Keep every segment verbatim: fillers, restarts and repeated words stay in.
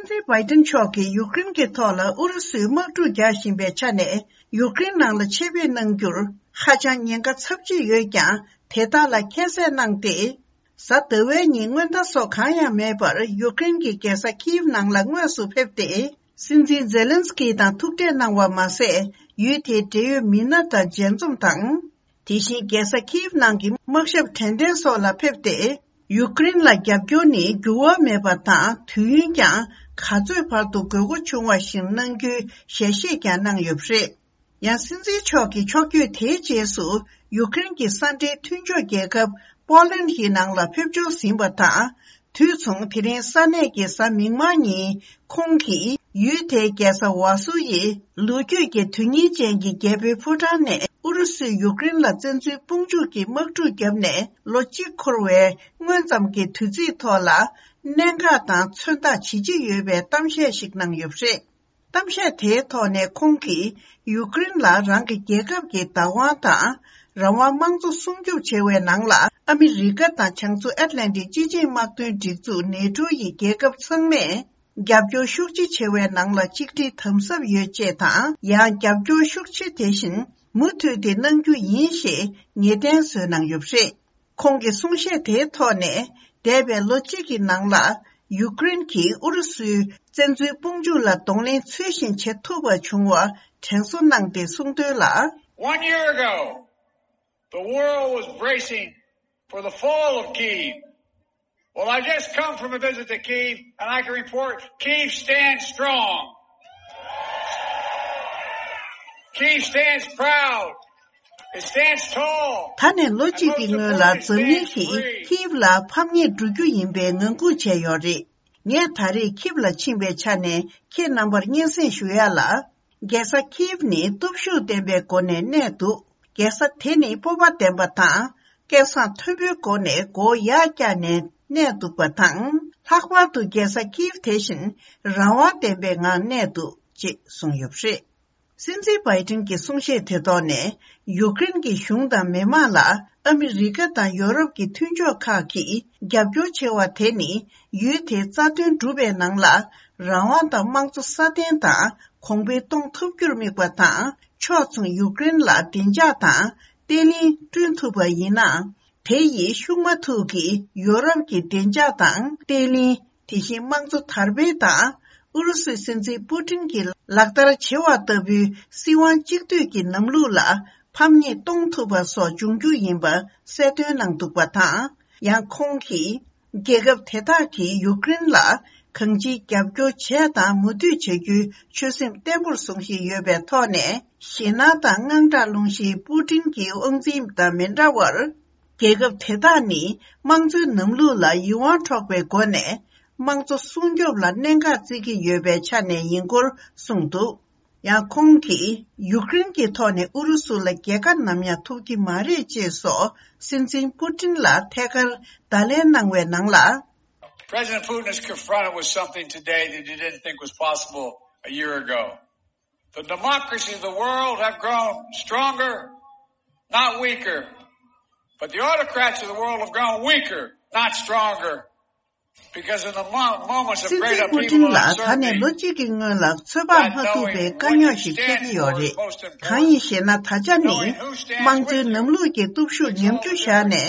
སྲིད་འཛིན་བྷའི་ཏིན་མཆོག་གིས་ཡུཀ་རེན་གྱི་ཐོག་ལ་ཨུ་རུ་སུས་དམག་འཁྲུག་རྒྱག་བཞིན་པའི་ཆ་ནས། ཡུཀ་རེན་ནང་ལ་ཆེད་ཕེབས་གནང་རྒྱུར་ཧ་ཅང་ཉེན་ཁ་ཚབས་ཆེ་ཡོད་ཀྱང་། དེ་དག་ལ་ཁྱད་བསད་གནང་སྟེ། གཟའ་ཟླ་བའི་ཉིན་སྔོན་བརྡ་སོགས་གང་ཡང་མེད་པར་ཡུཀ་རེན་གྱི་རྒྱལ་ས་ཁིབ་ནང་ལ་དངོས་སུ་ཕེབས་ཏེ། སྲིད་འཛིན་ཛེ་ལན་སི་ཀི་དང་ཐུག་འཕྲད་གནང་བ་མ་ཟད། ཡུལ་དེའི་འབྲེལ་ཡོད་མི་སྣ་དང་མཇལ་འཛོམས་དང་། དེ་བཞིན་རྒྱལ་ས་ཁིབ་ནང་གི་དམག་ཞབས་དྲན་རྟེན་སོགས་ལ་ཕེབས་ཏེ། ཡུཀ་རེན་ལ་རྒྱབ་སྐྱོར་ནི་འགྱུར་བ་མེད་པ་དང་། དུས་ཡུན་ཀྱང་ག་ཚོད་བར་དུ་དགོས་མཁོ་བྱུང་བ་བཞིན་གནང་རྒྱུའི་ཞལ་བཞེས་ཀྱང་གནང་ཡོད་པ་རེད། ཡང་སྲིད་འཛིན་མཆོག་གི་ཕྱོགས་བསྐྱོད་དེའི་རྗེས་སུ། ཡུཀ་རེན་གྱི་ས་འབྲེལ་མཐུན་ཕྱོགས་རྒྱལ་ཁབ་པོ་ལན་ཡི་ནང་ལ་ཕེབས་འབྱོར་ཟིན་པ་དང་། དུས་མཚུངས། དེ་རིང་ས་གནས་ཀྱི་གཟའ་མིག་དམར་ཉིན། ཁོང་གིས་ཡུལ་དེའི་རྒྱལ་ས་ཝ་སུ་ཡི་ལོ་རྒྱུས་ཀྱི་དོན་སྙིང་ཅན་གྱི་རྒྱལ་པོའི་ཕོ་བྲང་ནས། ཨུ་རུ་སུས་ཡུཀ་རེན་ལ་བཙན་འཛུལ་དཔུང་འཇུག་གི་དམག་འཁྲུག་བརྒྱབ་ནས་ལོ་གཅིག་འཁོར་བའི་སྔོན་ཙམ་གྱི་དུས་ཚིགས་ཐོག་ལ། གནད་འགག་དང་མཚོན་རྟགས་ཇི་ཆེ་ཡོད་པའི་གཏམ་བཤད་ཞིག་གནང་ཡོད་པ་རེད། གཏམ་བཤད་དེའི་ཐོག་ནས་ཁོང་གིས་ཡུཀ་རེན་ལ་རང་གི་རྒྱལ་ཁབ་ཀྱི་བདག་དབང་དང་། རང་དབང་། དམངས་གཙོ་སྲུང་སྐྱོབ་བྱེད་པའི་ནང་ལ་ཨ་མི་རི་ཀ་དང་བྱང་མཚོ་ཨེཊ་ལན་ཊིག་སྤྱི་ཆིངས་དམག་དོན་སྒྲིག་འཛུགས་ནེ་ཊོ་ཡི་རྒྱལ་ཁབ་ཚང་མས་རྒྱབ་སྐྱོར་ཤུགས་ཆེ་བྱེད་པའི་ནང་ལ་གཅིག་སྒྲིལ་དམ་ཟབ་ཡོད་ཅེས་དང་། ཡང་རྒྱབ་སྐྱོར་ཤུགས་ཆེ་དེ་བཞིན་མུ་མཐུད་དེ་གནང་རྒྱུ་ཡིན་ཞེས་ངེས་གཏན་བཟོས་གནང་ཡོད་པ་རེད། ཁོང་གི་གསུང་བཤད་དེའི་ཐོག་ནས། འདས་པའི་ལོ་གཅིག་གི་ནང་ལ་ཡུཀ་རེན་གྱིས་ཨུ་རུ་སུའི་བཙན་འཛུལ་དཔུང་འཇུག་ལ་གདོང་ལེན་ཚུལ་བཞིན་བྱེད་ཐུབ་པ་བྱུང་བ་དྲན་གསོ་གནང་སྟེ་གསུངས་དོན་ལ། One year ago, the world was bracing for the fall of Kyiv. Well, I just come from a visit to Kyiv, and I can report Kyiv stands strong. Kyiv stands proud. It stands tall. ད་ནས་ལོ་གཅིག་གི་སྔོན་ལ་འཛམ་གླིང་གིས་ཁིབ་ལ་ཕམ་ཉེས་འགྲོ་རྒྱུ་ཡིན་པའི་ངང་སྒུག་བྱས་ཡོད་རེད། ངས་ད་རེས་ཁིབ་ལ་ཕྱིན་པའི་ཆ་ནས་ཁྱེད་རྣམ་པར་སྙན་སེང་ཞུ་ཡ་ལ། རྒྱལ་ས་ཁིབ་ནི་སྟོབས་ཤུགས་ལྡན་པའི་སྒོ་ནས་གནས་འདུག་རྒྱལ་ས་དེ་ནི་སྤོབས་པ་ལྡན་པ་དང་། སྐད་གསང་མཐོན་པོའི་སྒོ་ནས་མགོ་ཡར་བཀྱགས་ནས་གནས་འདུག་པ་དང་། ལྷག་པར་དུ་རྒྱལ་ས་ཁིབ་དེ་བཞིན་རང་དབང་ལྡན་པའི་ངང་གནས་འདུག་ཅེས་གསུངས་ཡོད་པ་རེད། སྲིད་འཛིན་བྷའི་ཏིན་གྱི་གསུང་བཤད་དེ་ཐོག་ནས། ཡུཀ་རེན་གྱི་གཞུང་དང་མི་མང་ལ་ཨ་མི་རི་ཀ་དང་ཡོ་རོབ་ཀྱི་མཐུན་ཕྱོགས་ཁག་གིས་རྒྱབ་སྐྱོར་བྱེད་པ་དེ་ནི། ཡུལ་དེའི་རྩ་དོན་སྒྲུབ་པའི་ནང་ལ་རང་དབང་དང་དམངས་གཙོ་སྲ་བརྟན་དང་གོང་འཕེལ་གཏོང་ཐུབ་རྒྱུར་དམིགས་པ་དང་། ཕྱོགས་མཚུངས་ཡུཀ་རེན་ལ་བདེ་འཇགས་དང་བརྟན་ལྷིང་བསྐྲུན་ཐུབ་པ་ཡིན་ན། དེ་ཡིས་ཤུགས་མ་ཐུག་གིས་ཡོ་རོབ་ཀྱི་བདེ་འཇགས་དང་བརྟན་ལྷིང་། དེ་བཞིན་དམངས་གཙོ་དར་སྤེལ་དང་། ཨུ་རུ་སུའི་སྲིད་འཛིན་པུ་ཏིན་གྱིས་ལག་བསྟར་བྱེད་པ་ལྟ་བུའི་སྲིད་དབང་གཅིག་སྡུད་ཀྱི་ལམ་ལུགས་ལ་ཕམ་ཉེས་གཏོང་ཐུབ་པ་སོགས་འབྱུང་རྒྱུ་ཡིན་པ་གསལ་སྟོན་གནང་འདུག་པ་དང་། ཡང་ཁོང་གིས། རྒྱལ་ཁབ་དེ་དག་གིས་ཡུཀ་རེན་ལ་གང་ཅིའི་རྒྱབ་སྐྱོར་བྱས་དང་མུ་མཐུད་བྱ་རྒྱུའི་ཆོད་སེམས་བརྟན་པོར་བཟུང་བཞིན་ཡོད་པའི་ཐོག་ནས། ཞེད་སྣང་དང་དངངས་སྐྲག་སློང་གཞིའི་པུ་ཏིན་གྱི་དབང་འཛིན་དང་མི་འདྲ་བར། རྒྱལ་ཁབ་དེ་དག་ནི་དམངས་གཙོའི་ལམ་ལུགས་ལ་ཡིད་དབང་འཕྲོག་པའི་སྒོ་ནས་དམངས་གཙོ་སྲུང་སྐྱོབ་ལ་གནད་འགག་བརྩི་གི་ཡོད་པའི་ཆ་ནས་ཡིན་སྐོར་གསུངས་འདུག་ཡང་ཁོང་གིས་ཡུཀ་རེན་གྱི་ཐོག་ནས་ཨུ་རུ་སུ་ལ་རྒྱལ་ཁ་ནམ་ཡང་ཐོབ་ཀྱི་མ་རེད་ཅེས་སོགས་སྲིད་འཛིན་པུ་ཏིན་ལ་ཐད་ཀར་བརྡ་ལན་གནང་བའི་ནང་ལ། President Putin is confronted with something today that he didn't think was possible a year ago. The democracies of the world have grown stronger, not weaker. But the autocrats of the world have grown weaker, not stronger. Because in the mo- moments of སྲིད་འཛིན་པུ་ཏིན་ལ་ད་ནས་ལོ་གཅིག་གི་སྔོན་ལ་ཚོད་དཔག་མ་ཐུབ་པའི་དཀའ་རྙོག་ཞིག་འཕྲད་ཀྱི་ཡོད་རེད། གང་ཡིན་ཞེ་ན། ད་ཆ་ནི་དམངས་གཙོའི་ལམ་ལུགས་ཀྱི་སྟོབས་ཤུགས་ཉམས་ཆུང་བཞག་ནས་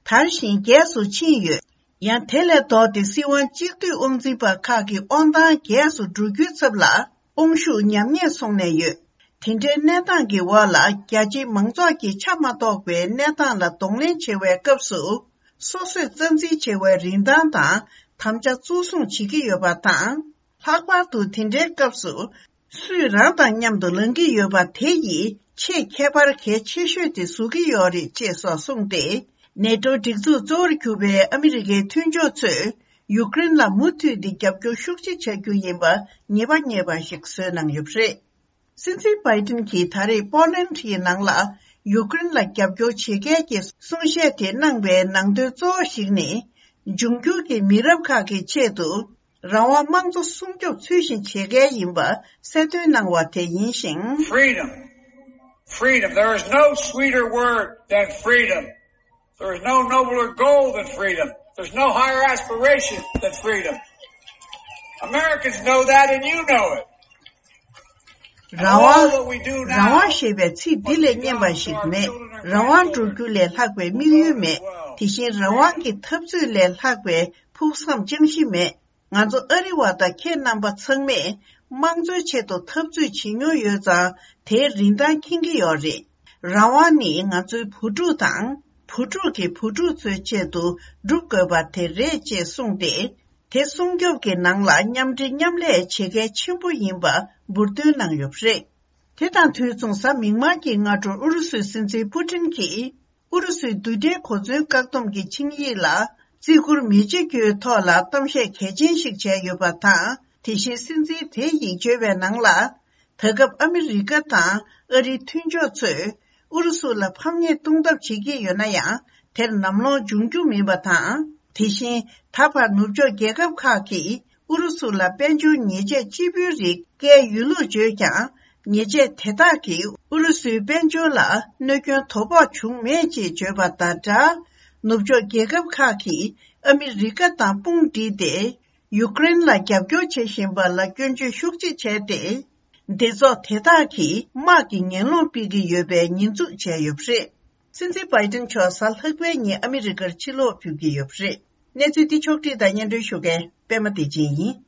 དར་ཞིང་རྒྱས་སུ་ཕྱིན་ཡོད། ཡང་དེ་ལས་ལྡོག་སྟེ་སྲིད་དབང་གཅིག་སྡུད་དབང་འཛིན་པ་ཁག་གི་དབང་ཐང་རྒྱས་སུ་འགྲོ་རྒྱུའི་ཚབ་ལ་དབང་ཤུགས་ཉམས་ཉེས་སོང་ནས་ཡོད། དེ་འདྲའི་གནས་སྟངས་ཀྱི་འོག་ལ་རྒྱ་ཆེའི་མང་ཚོགས་ཀྱིས་ཆ་མ་གཏོགས་པའི་གནས་སྟངས་ལ་གདོང་ལེན་བྱེད་པའི་སྐབས་སུ། སོ་སོས་རྩ་འཛིན་བྱེད་པའི་རིན་ཐང་དང་དམ་བཅའ་གཙོ་བཟུང་བྱེད་ཀྱི་ཡོད་པ་དང་། ལྷག་པར་དུ་དེ་འདྲའི་སྐབས་སུ། སུས་རང་དང་མཉམ་དུ་ལངས་ཀྱི་ཡོད་པ་དེ་ཡིས་ཆེས་ཁྱད་པར་གལ་ཆེ་ཤོས་དེ་བཟོ་གི་ཡོད་རེད་ཅེས་སོགས་གསུངས་ཏེ། ནེ་ཏོ་སྒྲིག་འཛུགས་གཙོ་བོར་གྱུར་པའི་ཨ་མི་རི་ཀའི་མཐུན་ཕྱོགས་ཚོས་ཡུཀ་རེན་ལ་མུ་མཐུད་དེ་རྒྱབ་སྐྱོར་ཤུགས་ཆེ་བྱ་རྒྱུ་ཡིན་པ་ངེས་པ་ངེས་པ་ཞིག་བཟོས་གནང་ཡོད་པ་རེད། སྲིད་འཛིན་བྷའི་ཏིན་གྱིས་ད་རེས་པོ་ལན་ཡི་ནང་ལ་ཡུཀ་རེན་ལ་རྒྱབ་སྐྱོར་བྱེད་མཁན་གྱི་གསུང་བཤད་དེ་གནང་བའི་ནང་དོན་གཙོ་བོ་ཞིག་ནི། འབྱུང་འགྱུར་གྱི་མི་རབས་ཁག་གི་ཆེད་དུ་རང་དབང་དམངས་གཙོ་སྲུང་སྐྱོབ་ཚུལ་བཞིན་བྱེད་མཁན་ཡིན་པ་གསལ་སྟོན་གནང་བ་དེ་ཡིན་ཞིང་། Freedom. Freedom. There is no sweeter word than freedom. There is no nobler goal than freedom. There's no higher aspiration than freedom. Americans know that and you know it. རང་དབང་། རང་དབང་ཞེས་པའི་ཚིག་འདི་ལས་སྙན་པ་ཞིག་མེད། རང་དབང་སྒྲུབ་རྒྱུ་ལས་ལྷག་པའི་དམིགས་ཡུལ་མེད། དེ་བཞིན་རང་དབང་གི་འཐབ་རྩོད་ལས་ལྷག་པའི་ཕུགས་བསམ་ཅང་ཤེས་མེད། ང་ཚོ་ཨ་རི་བ་དང་ཁྱེད་རྣམ་པ་ཚང་མས་དམངས་གཙོའི་ཆེད་དུ་འཐབ་རྩོད་བྱེད་མྱོང་ཡོད་ཙང་། དེའི་རིན་ཐང་མཁྱེན་གྱི་ཡོད་རེད། རང་དབང་ནི་ང་ཚོའི་བུ་ཕྲུག་དང་། བུ་ཕྲུག་གི་བུ་ཕྲུག་ཚོའི་ཆེད་དུ་སྒྲུབ་དགོས་པ་དེ་རེད་ཅེས་གསུངས་ཏེ། དེ་སྲུང་སྐྱོབ་ཀྱི་ནང་ལ་མཉམ་འབྲེལ་མཉམ་ལས་བྱེད་གལ་ཆེན་པོ་ཡིན་པ་འབུར་འདོན་གནང་ཡོད་པ་རེད། དེ་དང་དུས་མཚུངས། གཟའ་མིག་དམར་གྱི་སྔ་དྲོར་ཨུ་རུ་སུའི་སྲིད་འཛིན་པུ་ཏིན་གྱིས། ཨུ་རུ་སུའི་རྡུལ་ཕྲན་གོ་མཚོན་བཀག་སྡོམ་གྱི་ཆིངས་ཡིག་ལ་བརྩི་བཀུར་མི་བྱེད་རྒྱུའི་ཐོག་ལ་གཏམ་བཤད་གལ་ཆེན་ཞིག་བྱས་ཡོད་པ་དང་། དེ་བཞིན་སྲིད་འཛིན་དེའི་ཡིག་བརྗོད་པའི་ནང་ལ། ད་སྐབས་ཨ་མི་རི་ཀ་དང་ཨ་རིའི་མཐུན་ཕྱོགས་ཚོས་ཨུ་རུ་སུ་ལ་ཕམ་ཉེས་གཏོང་ཐབས་བྱེད་ཀྱི་ཡོད་ན་ཡང་། དེར་ནམ་ལངས་འབྱུང་རྒྱུ་མིན་པ་དང་། དེ་བཞིན་ད་བར་ནུབ་ཕྱོགས་རྒྱལ་ཁབ་ཁག་གིས་ཨུ་རུ་སུ་ལ་དཔལ་འབྱོར་ཉེས་ཆད་ལྕི་པོའི་རིགས་བཀལ་ཡོད་ལུགས་བརྗོད་ཀྱང་། ཉེས་ཆད་དེ་དག་གིས་ཨུ་རུ་སུའི་དཔལ་འབྱོར་ལ་གནོད་སྐྱོན་དོ་ཕོག་བྱུང་མེད་ཅེས་བརྗོད་པ་དང་སྦྲགས། ནུབ་ཕྱོགས་རྒྱལ་ཁབ་ཁག་གིས་ཨ་མི་རི་ཀ་དང་དཔུང་སྒྲིལ་ཏེ། ཡུཀ་རེན་ལ་རྒྱབ་སྐྱོར་བྱེད་བཞིན་པ་ལ་སྐྱོན་བརྗོད་ཤུགས་ཆེ་བྱས་ཏེ། སྡེ་ཚོགས་དེ་དག་གིས་དམག་གི་ངན་སློང་སྤེལ་གྱི་ཡོད་པའི་ཉེས་འཛུགས་བྱས་ཡོད་པ་རེད། སྲིད་འཛིན་བྷའི་ཏིན་མཆོག་གཟའ་ལྷག་པའི་ཉིན་ཨ་མི་རི་ཀར་ཕྱིར་ལོག་ཕེབས་ཀྱི་ཡོད་པ་རེད། གནས་ཚུལ་འདི་ཕྱོགས་བསྒྲིགས་དང་སྙན་སྒྲོན་ཞུ་མཁན་པད་མ་བདེ་ཆེན་ཡིན།